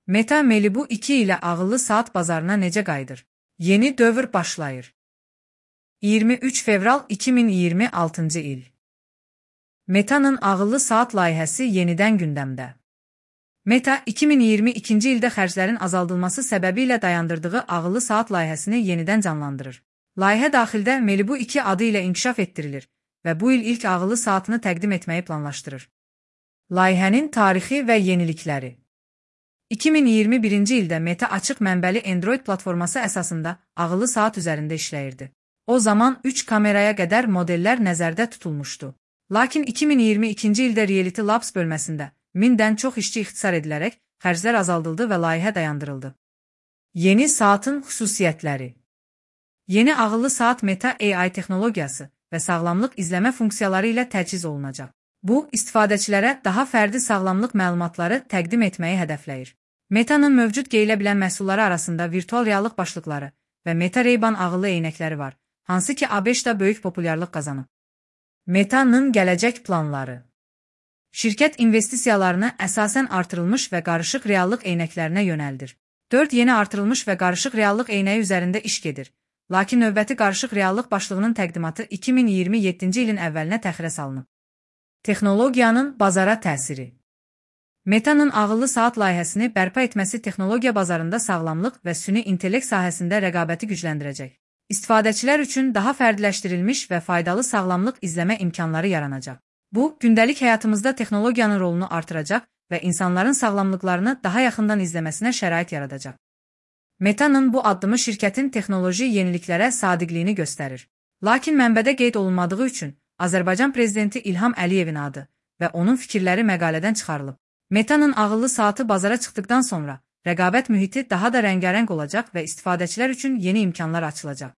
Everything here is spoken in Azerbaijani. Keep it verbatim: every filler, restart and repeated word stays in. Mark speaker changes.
Speaker 1: Meta Malibu iki ilə ağıllı saat bazarına necə qayıdır? Yeni dövr başlayır. iyirmi üç fevral iki min iyirmi altıncı il. Meta'nın ağıllı saat layihəsi yenidən gündəmdə. Meta, iki min iyirmi ikinci ildə xərclərin azaldılması səbəbilə dayandırdığı ağıllı saat layihəsini yenidən canlandırır. Layihə daxildə Malibu iki adı ilə inkişaf etdirilir və bu il ilk ağıllı saatını təqdim etməyi planlaşdırır. Layihənin tarixi və yenilikləri. iki min iyirmi birinci ildə Meta açıq mənbəli Android platforması əsasında ağıllı saat üzərində işləyirdi. O zaman üç kameraya qədər modellər nəzərdə tutulmuşdu. Lakin iki min iyirmi ikinci ildə Reality Labs bölməsində mindən çox işçi ixtisar edilərək xərclər azaldıldı və layihə dayandırıldı. Yeni saatın xüsusiyyətləri. Yeni ağıllı saat Meta A I texnologiyası və sağlamlıq izləmə funksiyaları ilə təchiz olunacaq. Bu, istifadəçilərə daha fərdi sağlamlıq məlumatları təqdim etməyi hədəfləyir. Meta'nın mövcud geyilə bilən məhsulları arasında virtual reallıq başlıqları və Meta Ray-Ban ağıllı eynəkləri var, hansı ki A beşdə böyük populyarlıq qazanıb. Meta'nın gələcək planları. Şirkət investisiyalarını əsasən artırılmış və qarışıq reallıq eynəklərinə yönəldir. dörd yeni artırılmış və qarışıq reallıq eynəyi üzərində iş gedir. Lakin növbəti qarışıq reallıq başlığının təqdimatı iki min iyirmi yeddinci ilin əvvəlinə təxirə salınıb. Texnologiyanın bazara təsiri. Meta'nın ağıllı saat layihəsini bərpa etməsi texnologiya bazarında sağlamlıq və süni intellekt sahəsində rəqabəti gücləndirəcək. İstifadəçilər üçün daha fərdiləşdirilmiş və faydalı sağlamlıq izləmə imkanları yaranacaq. Bu, gündəlik həyatımızda texnologiyanın rolunu artıracaq və insanların sağlamlıqlarını daha yaxından izləməsinə şərait yaradacaq. Meta'nın bu addımı şirkətin texnoloji yeniliklərə sadiqliyini göstərir. Lakin mənbədə qeyd olunmadığı üçün Azərbaycan prezidenti İlham Əliyevin adı və onun fikirləri məqalədən çıxarılıb. Meta'nın ağıllı saatı bazara çıxdıqdan sonra rəqabət mühiti daha da rəngarəng olacaq və istifadəçilər üçün yeni imkanlar açılacaq.